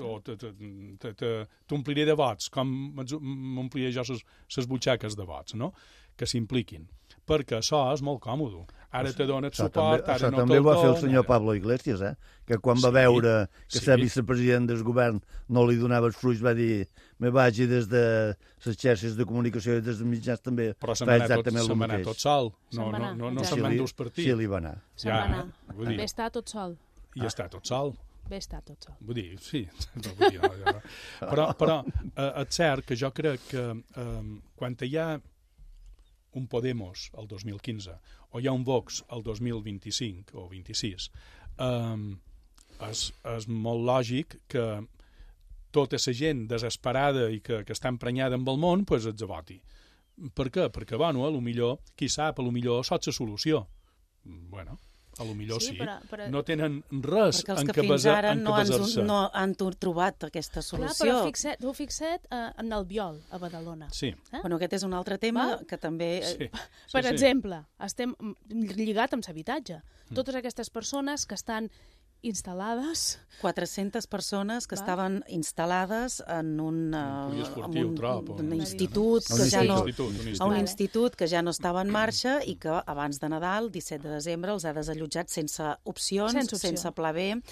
t'ompliré de vots com m'ompliré jo les butxaques de vots, no? Que s'impliquin. Perquè això és molt còmode. Ara te donen suport, ara no te'l donen. Això també ho va fer el senyor Pablo Iglesias, que quan va veure que ser vicepresident del govern no li donava els fruits, va dir, me vagi des de les xarxes de comunicació i des dels mitjans també. Però se'n va anar tot sol. No se'n van dur els partits. Sí, li va anar. Se'n va anar. Bé està tot sol. I està tot sol. Bé està tot sol. Vull dir, sí. Però és cert que jo crec que quan hi ha un Podemos el 2015 o hi ha un Vox el 2025 o 26, és molt lògic que tota la gent desesperada i que està emprenyada amb el món els voti. Per què? Perquè, bueno, qui sap, potser sots la solució. Bueno, potser sí. Però... No tenen res en què basar-se. Perquè els que fins ara no han trobat aquesta solució. Clar, però tu fixa't en Albiol, a Badalona. Sí. Bueno, aquest és un altre tema que també... Per exemple, estem lligat amb l'habitatge. Totes aquestes persones que estan instal·lades... 400 persones que estaven instal·lades en un institut un institut que ja no estava en marxa i que abans de Nadal, 17 de desembre, els ha desallotjat sense opcions, sense pla B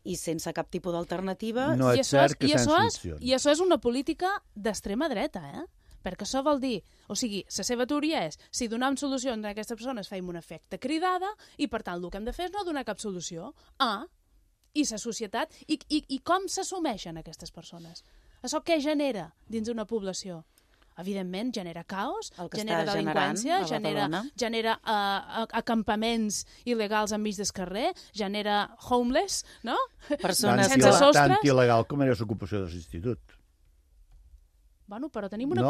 i sense cap tipus d'alternativa. No és cert que sense opcions. I això és una política d'extrema dreta, perquè això vol dir, o sigui, la seva teoria és, si donem solucions a aquestes persones feim un efecte cridada i per tant el que hem de fer és no donar cap solució. I la societat, i com s'assumeixen aquestes persones? Això què genera dins d'una població? Evidentment, genera caos, genera delinqüència, genera acampaments il·legals enmig del carrer, genera homeless, no? Persones sense sostres. Tant il·legal com era l'ocupació de l'institut. Bueno, però tenim una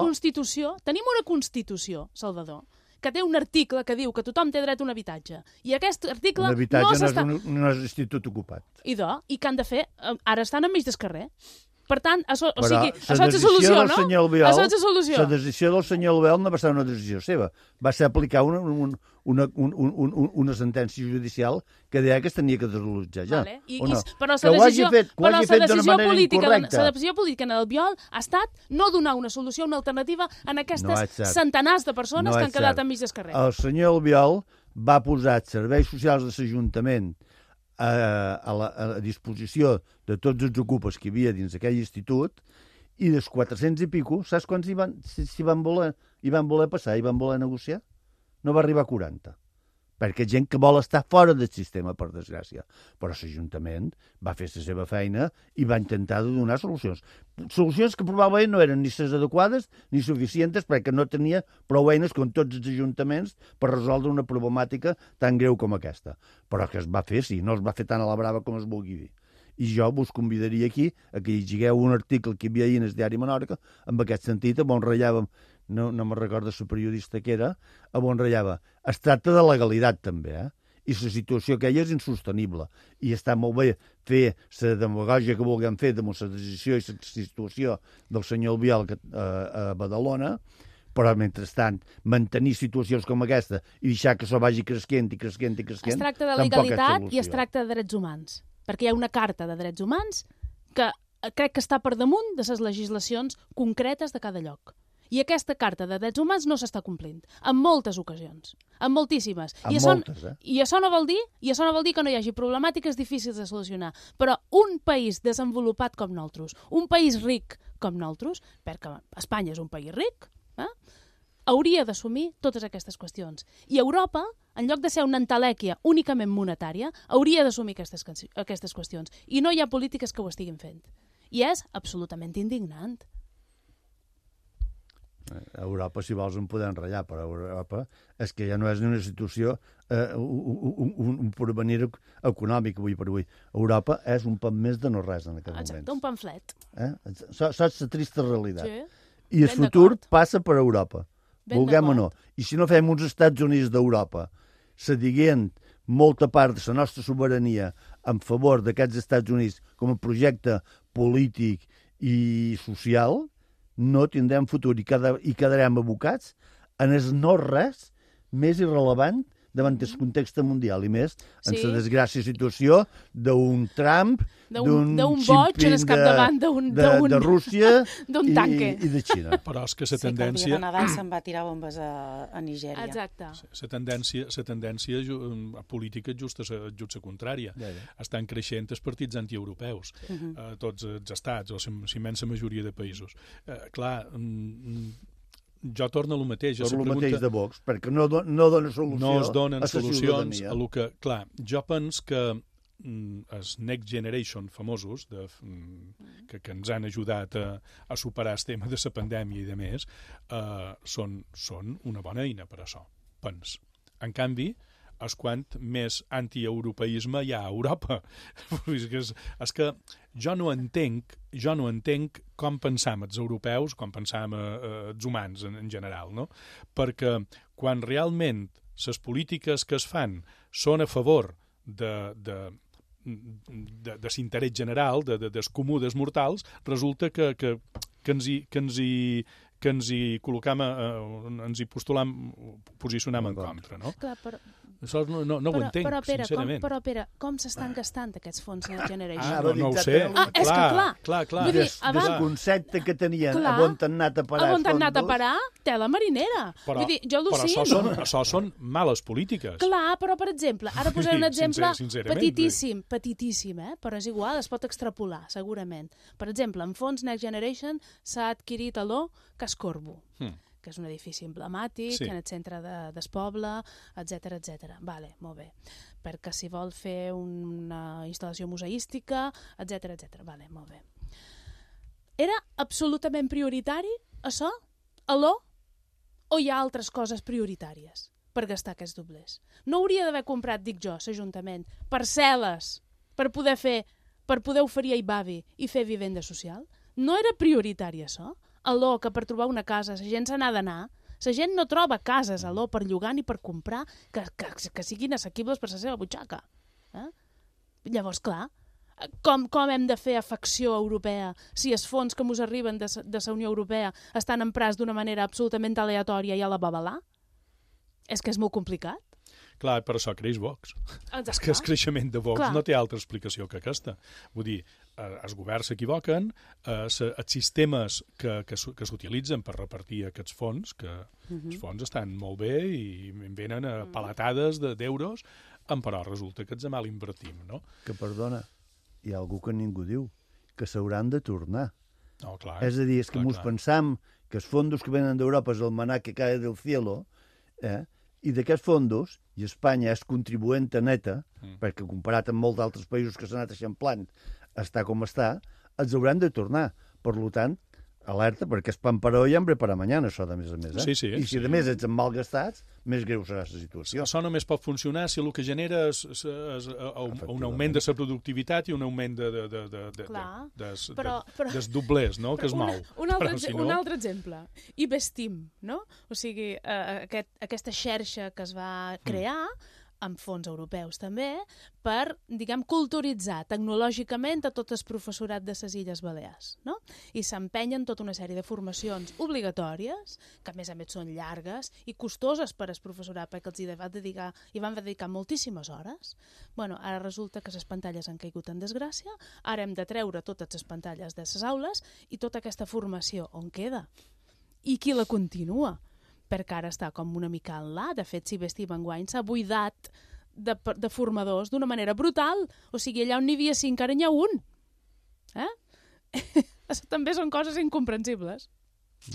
Constitució, Salvador, que té un article que diu que tothom té dret a un habitatge. I aquest article no s'està... no és institut ocupat. I què han de fer? Ara estan enmig del carrer. Per tant, això és la solució, no? Això és la solució. La decisió del senyor Albiol no va ser una decisió seva. Va ser aplicar una sentència judicial que deia que es tenia que desallotjar ja. Però la decisió política en Albiol ha estat no donar una solució, una alternativa en aquestes centenars de persones que han quedat enmig del carrer. El senyor Albiol va posar serveis socials de l'Ajuntament a disposició de tots els ocupes que hi havia dins aquell institut, i dels 400 i pico, saps quants hi van voler passar, hi van voler negociar? No va arribar a 40. Perquè gent que vol estar fora del sistema, per desgràcia. Però l'Ajuntament va fer la seva feina i va intentar donar solucions. Solucions que probablement no eren ni les adequades ni suficients, perquè no tenia prou eines com tots els ajuntaments per resoldre una problemàtica tan greu com aquesta. Però que es va fer, sí, no es va fer tan a la brava com es vulgui dir. I jo vos convidaria aquí a que llegueu un article que hi havia ahir en el diari Menorca, en aquest sentit, on ratllàvem, no me'n recordo la periodista que era, on ratllava. Es tracta de legalitat, també, i la situació que hi és insostenible. I està molt bé fer la demagògia que vulguem fer de la decisió i la situació del senyor Albiol a Badalona, però, mentrestant, mantenir situacions com aquesta i deixar que això vagi creixent i creixent i creixent... Es tracta de legalitat i es tracta de drets humans, perquè hi ha una carta de drets humans que crec que està per damunt de les legislacions concretes de cada lloc. I aquesta carta de drets humans no s'està complint, en moltes ocasions, en moltíssimes. I això no vol dir que no hi hagi problemàtiques difícils de solucionar, però un país desenvolupat com nosaltres, un país ric com nosaltres, perquè Espanya és un país ric, hauria d'assumir totes aquestes qüestions. I Europa, en lloc de ser una entelèquia únicament monetària, hauria d'assumir aquestes qüestions. I no hi ha polítiques que ho estiguin fent. I és absolutament indignant. A Europa, si vols, en podem ratllar, però a Europa és que ja no és ni una situació, un porvenir econòmic avui per avui. Europa és un pan més de no res en aquest moment. Exacte, un pamflet. Saps la trista realitat. Sí. I el futur passa per Europa, vulguem o no. I si no fem uns Estats Units d'Europa cedint molta part de la nostra sobirania en favor d'aquests Estats Units com a projecte polític i social, no tindrem futur i quedarem abocats en el no-res més irrellevant davant del context mundial, i més en la desgràcia situació d'un Trump, d'un boig en el capdavant de Rússia i de Xina. Però és que la tendència... Sí, que el dia de Nadal se'n va tirar bombes a Nigèria. Exacte. La tendència política és just la contrària. Estan creixent els partits antieuropeus, tots els estats, o la immensa majoria de països. Clar, jo torno a lo mateix. Torno a lo mateix de Vox, perquè no dona solució no es donen a la solucions ciutadania. a lo que... Clar, jo penso que els Next Generation famosos que ens han ajudat a superar el tema de la pandèmia i de més són una bona eina per a això, pens. En canvi, és quant més antieuropeisme hi ha a Europa. És que jo no entenc com pensam els europeus, com pensam els humans en general, no? Perquè quan realment les polítiques que es fan són a favor de l'interès general, del comú dels mortals, resulta que ens hi col·locam, ens hi postulam, posicionam en contra, no? Clar, però... Això no ho entenc, sincerament. Però, Pere, com s'estan gastant aquests fons Next Generation? No ho sé. És que clar. Desconcepte que tenien a on han anat a parar els fons. Tela marinera. Vull dir, jo al·lucino. Però això són males polítiques. Clar, però, per exemple, ara posaré un exemple petitíssim, però és igual, es pot extrapolar, segurament. Per exemple, en fons Next Generation s'ha adquirit a l'O Cascorbo, que és un edifici emblemàtic, en el centre del poble, etc. Vale, molt bé. Perquè si vol fer una instal·lació museística, etc. Vale, molt bé. Era absolutament prioritari, això, a l'O, o hi ha altres coses prioritàries per gastar aquests doblers? No hauria d'haver comprat, dic jo, l'Ajuntament, parcel·les per poder oferir a Ibavi i fer vivenda social? No era prioritari, això? A l'O, que per trobar una casa la gent se n'ha d'anar, la gent no troba cases a l'O per llogar ni per comprar que siguin assequibles per la seva butxaca. Llavors, clar, com hem de fer afecció europea si els fons que ens arriben de la Unió Europea estan emprats d'una manera absolutament aleatòria i a la babalà? És que és molt complicat. Clar, per això creix Vox. És que el creixement de Vox no té altra explicació que aquesta. Vull dir, els governs s'equivoquen, els sistemes que s'utilitzen per repartir aquests fons, que els fons estan molt bé i venen a palatades d'euros, però resulta que els mal invertim, no? Que, perdona, hi ha algú que ningú diu, que s'hauran de tornar. No, clar. És a dir, és que ens pensam que els fondos que venen d'Europa és el maná que cae del cielo, i d'aquests fondos, i Espanya és contribuenta neta, perquè comparat amb molts d'altres països que s'han anat eixamplant, està com està, els hauran de tornar. Per tant, alerta, perquè és pan per hoy, hambre para mañana, això de més a més. Sí, I si de més ets malgastats, més greu serà la situació. Això només pot funcionar si el que genera és un augment de la productivitat i un augment dels doblers, no?, que es mou. Un altre exemple. Ibestim, no? O sigui, aquesta xarxa que es va crear amb fons europeus també, per, diguem, culturitzar tecnològicament a tot el professorat de les Illes Balears, no? I s'empenyen tota una sèrie de formacions obligatòries, que a més són llargues i costoses per al professorat, perquè els hi van dedicar moltíssimes hores. Bueno, ara resulta que les pantalles han caigut en desgràcia, ara hem de treure totes les pantalles de les aules i tota aquesta formació on queda? I qui la continua? Perquè ara està com una mica enlà. De fet, si bé enguany s'ha buidat de formadors d'una manera brutal. O sigui, allà on n'hi havia 5, ara n'hi ha un. També són coses incomprensibles.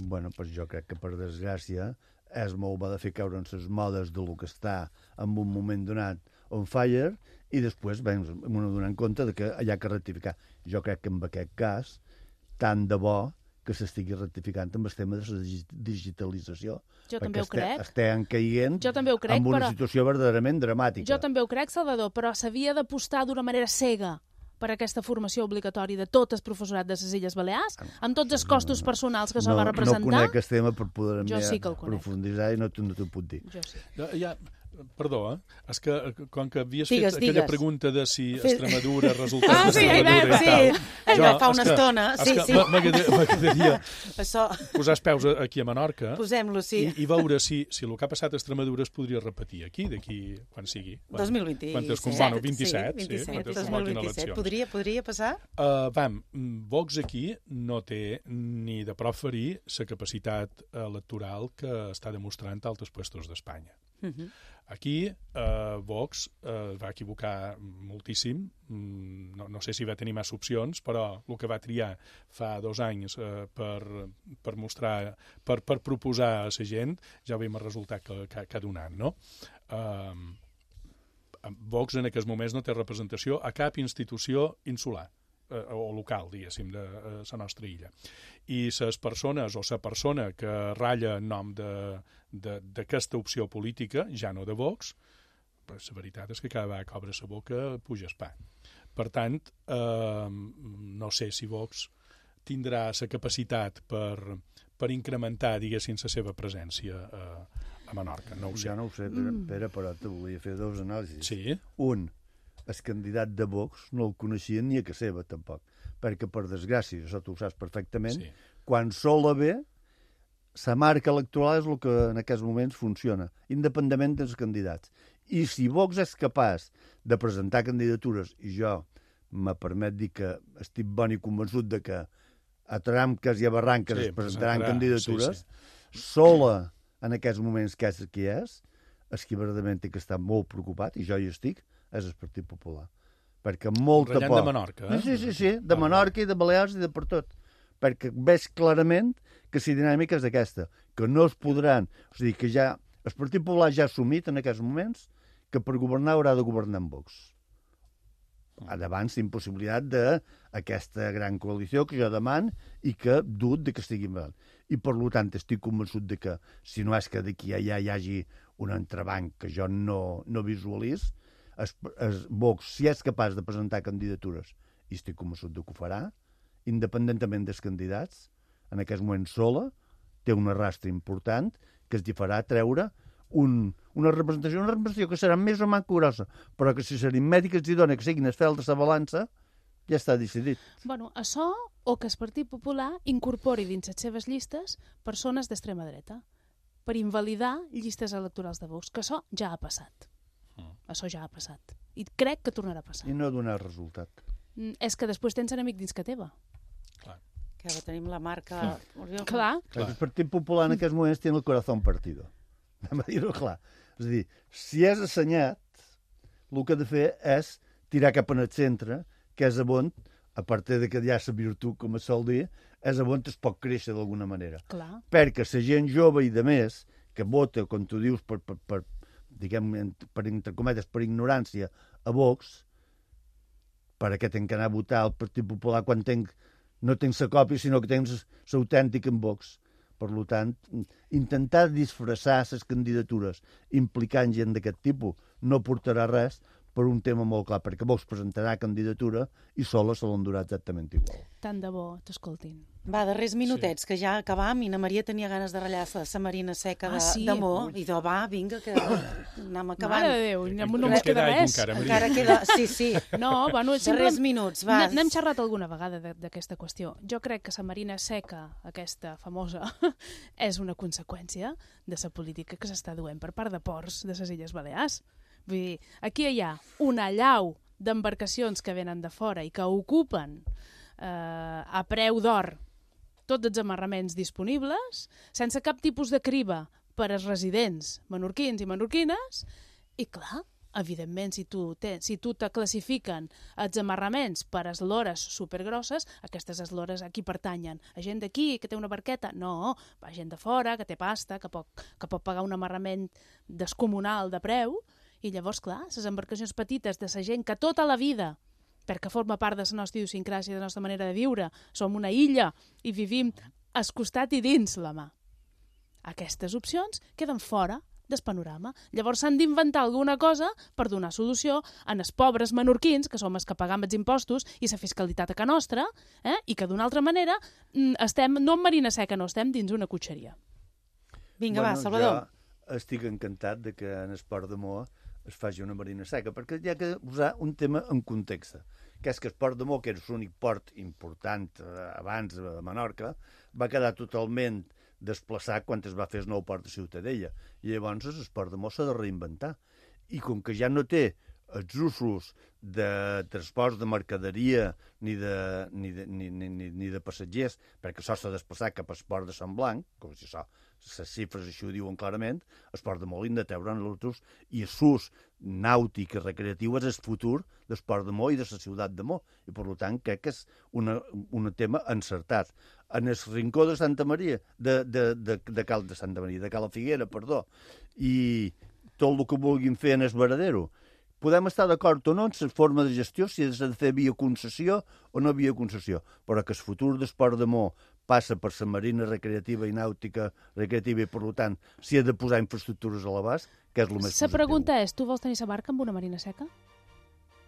Bueno, pues jo crec que, per desgràcia, és molt bo de fer caure en les modes del que està en un moment donat on fire i després vam donar compte de que hi ha que rectificar. Jo crec que en aquest cas, tant de bo que s'estigui rectificant amb el tema de la digitalització. Jo també ho crec. Estem caient en una situació verdaderament dramàtica. Jo també ho crec, Salvador, però s'havia d'apostar d'una manera cega per aquesta formació obligatòria de tot el professorat de les Illes Balears, amb tots els costos personals que s'ho va representar. No conec el tema per poder profunditzar i no t'ho puc dir. Jo sí. Perdó, és que com que havies fet aquella pregunta de si Extremadura, resultats d'Extremadura i tal... Fa una estona, sí. M'agradaria posar els peus aquí a Menorca i veure si el que ha passat a Extremadura es podria repetir aquí, d'aquí quan sigui. 2027. 27. 2027. Podria passar? Vox aquí no té ni de proferir la capacitat electoral que està demostrant altres puestos d'Espanya. Aquí Vox va equivocar moltíssim, no sé si va tenir massa opcions, però el que va triar fa 2 anys per mostrar, per proposar a la gent, ja veiem el resultat que ha donat, no? Vox en aquests moments no té representació a cap institució insular o local, diguéssim, de la nostra illa. I les persones o la persona que ratlla en nom d'aquesta opció política, ja no de Vox, però la veritat és que cada vegada que obre la boca puja el pa. Per tant, no sé si Vox tindrà la capacitat per incrementar, diguéssim, la seva presència a Menorca. No ho sé. Ja no ho sé, Pere, però te volia fer 2 anàlisis. Sí? Un, el candidat de Vox no el coneixien ni a casa seva, tampoc. Perquè, per desgràcia, això tu ho saps perfectament, quan sola ve, la marca electoral és el que en aquests moments funciona, independentment dels candidats. I si Vox és capaç de presentar candidatures, i jo me permet dir que estic bon i convençut de que a tramques i a barranques es presentaran candidatures, sola en aquests moments que és qui és, el que verdaderament té que estar molt preocupat, i jo hi estic, és el Partit Popular. Perquè molta por... de Menorca, Sí, de Menorca i de Balears i de per tot. Perquè veig clarament que la dinàmica és aquesta, que no es podran... O sigui, que ja... El Partit Popular ja ha assumit en aquests moments que per governar haurà de governar amb Vox. Davant la impossibilitat d'aquesta gran coalició que jo demano i que dut de que estigui mal. I per tant estic convençut de que si no és que d'aquí a allà hi hagi un entrebanc que jo no visualitzo, Vox, si és capaç de presentar candidatures, i estic convençut que ho farà, independentment dels candidats, en aquest moment sola, té un arrastre important que es farà treure una representació que serà més o menys grossa, però que si l'aritmètica els dona que siguin els fèls de la balança, ja està decidit. Bueno, això o que el Partit Popular incorpori dins les seves llistes persones d'extrema dreta per invalidar llistes electorals de Vox, que això ja ha passat. Això ja ha passat. I crec que tornarà a passar. I no donar resultat. És que després tens enemic dins que teva. Clar. Que ara tenim la marca... Clar. El Partit Popular en aquests moments té el corazón partido. Anem a dir-ho clar. És a dir, si és assenyat, el que ha de fer és tirar cap en el centre, que és on, a part de que hi ha la virtut, com es sol dir, és on es pot créixer d'alguna manera. Clar. Perquè la gent jove i de més, que vota, com tu dius, diguem, per entre cometes, per ignorància, a Vox, per què tenc que anar a votar al Partit Popular quan no tens la còpia, sinó que tens l'autèntic en Vox. Per tant, intentar disfressar les candidatures implicant gent d'aquest tipus no portarà res, per un tema molt clar, perquè vos presentarà candidatura i sola se l'endurà exactament igual. Tant de bo t'escoltin. Va, darrers minutets, que ja acabam, i na Maria tenia ganes de ratllar sa marina seca de Mo, i va, vinga, que anem acabant. Mare de Déu, no ens queda res. Encara queda, sí. No, bueno, darrers minuts, va. N'hem xerrat alguna vegada d'aquesta qüestió. Jo crec que sa marina seca, aquesta famosa, és una conseqüència de la política que s'està duent per part de ports de les Illes Balears. Vull dir, aquí hi ha una allau d'embarcacions que venen de fora i que ocupen a preu d'or tots els amarraments disponibles, sense cap tipus de criba per als residents menorquins i menorquines, i clar, evidentment, si tu te classifiquen els amarraments per eslores supergrosses, aquestes eslores a qui pertanyen? A gent d'aquí, que té una barqueta? No, a gent de fora, que té pasta, que pot pagar un amarrament descomunal de preu, i llavors, clar, les embarcacions petites de la gent que tota la vida, perquè forma part de la nostra idiosincràsia, de la nostra manera de viure, som una illa i vivim al costat i dins la mà. Aquestes opcions queden fora del panorama. Llavors s'han d'inventar alguna cosa per donar solució a els pobres menorquins, que som els que pagam els impostos i la fiscalitat a ca nostra, i que d'una altra manera estem, no en marina seca, no, estem dins una cotxeria. Vinga, va, Salvador. Jo estic encantat de que en Esport de Moa es faci una marina seca, perquè hi ha que posar un tema en context, que és que Esport de Moa, que era l'únic port important abans a Menorca, va quedar totalment desplaçat quan es va fer el nou port de Ciutadella. I llavors l'Esport de Moa s'ha de reinventar. I com que ja no té els usos de transports de mercaderia ni de passatgers, perquè això s'ha desplaçat cap a Esport de Sant Blanc, com si això, les xifres així ho diuen clarament, Esport de Moa l'hem de treure en l'altres, i l'ús nàutic i recreatiu és el futur d'Esport de Moa i de la ciutat de Moa, i per tant crec que és un tema encertat. En el rincó de Santa Maria, de Cala Figuera, perdó, i tot el que vulguin fer en el Varadero, podem estar d'acord o no en la forma de gestió, si s'ha de fer via concessió o no via concessió, però que el futur d'Esport de Moa passa per la marina recreativa i nàutica recreativa i, per tant, s'hi ha de posar infraestructures a l'abast, que és el més positiu. La pregunta és, tu vols tenir la barca amb una marina seca?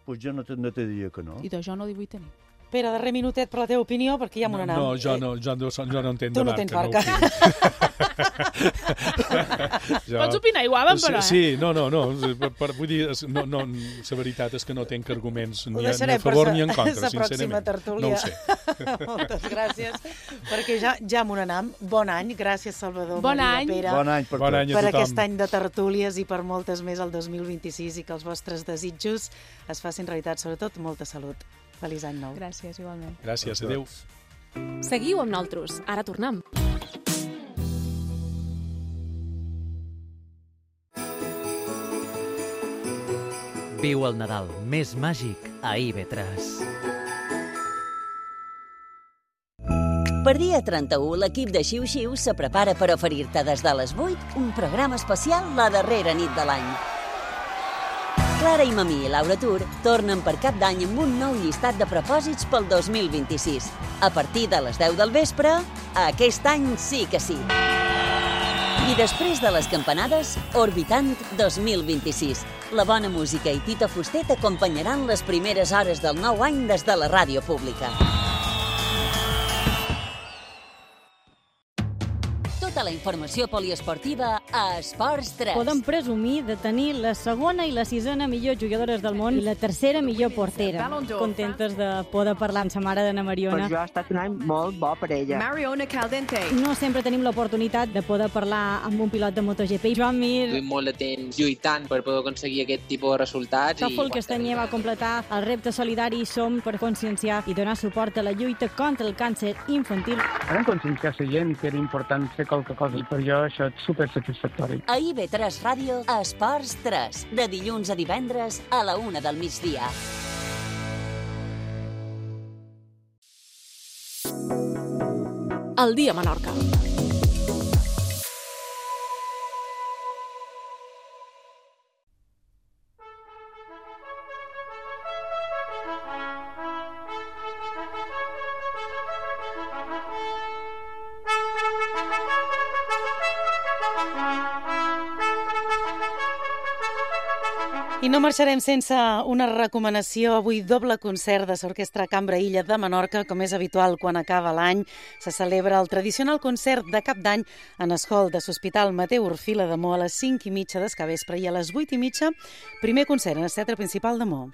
Pues jo no te diria que no. I jo no ho vull tenir. Pere, darrer minutet per la teva opinió, perquè ja m'ho n'anem. No, jo no entenc de barca. Tu no tens barca. Pots opinar igual, però, Sí, no. Vull dir, la veritat és que no tenc arguments ni a favor ni en contra, sincerament. No ho sé. Moltes gràcies, perquè ja m'ho n'anem. Bon any, gràcies, Salvador. Bon any. Pere. Bon any per tots. Per aquest any de tertúlies i per moltes més al 2026 i que els vostres desitjos es facin realitat, sobretot molta salut. Feliç any nou. Gràcies, igualment. Gràcies, adéu. Seguiu amb nosaltres. Ara tornem. Viu el Nadal més màgic a IB3. Per dia 31, l'equip de Xiu Xiu se prepara per oferir-te des de les 8 un programa especial la darrera nit de l'any. Clara i Mamí i Laura Tur tornen per cap d'any amb un nou llistat de propòsits pel 2026. A partir de les 10 del vespre, aquest any sí que sí. I després de les campanades, Orbitant 2026. La bona música i Tito Fuster t'acompanyaran les primeres hores del nou any des de la ràdio pública. Tota la informació poliesportiva a Esports 3. Podem presumir de tenir la segona i la sisena millor jugadores del món i la tercera millor portera. Contentes de poder parlar amb sa mare d'Anna Mariona. Per jo ha estat un any molt bo per ella. Mariona Caldente. No sempre tenim l'oportunitat de poder parlar amb un pilot de MotoGP. Joan Mir. Duim molt de temps lluitant per poder aconseguir aquest tipus de resultats. Tòfol Castanyer va completar el repte solidari Som per conscienciar i donar suport a la lluita contra el càncer infantil. Vam conscienciar la gent que era important fer qualque cosa i per jo això és supersatisfactori. A IB3 Ràdio, Esports 3, de dilluns a divendres a la 1 del migdia. El dia a Menorca. I no marxarem sense una recomanació. Avui doble concert de l'Orquestra Cambra Illa de Menorca, com és habitual quan acaba l'any. Se celebra el tradicional concert de cap d'any en el hall de l'Hospital Mateu Orfila de Mo a les 5:30 del capvespre i a les 8:30 primer concert en el Teatre Principal de Mo.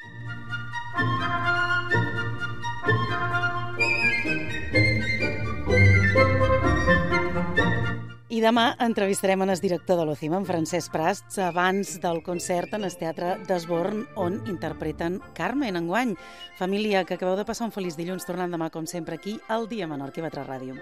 I demà entrevistarem en el director de l'OCIMA, en Francesc Prats, abans del concert en el Teatre d'Esborn, on interpreten Carmen enguany. Família, que acabeu de passar un feliç dilluns, tornant demà, com sempre, aquí al Dia Menorca i IB3 Ràdio.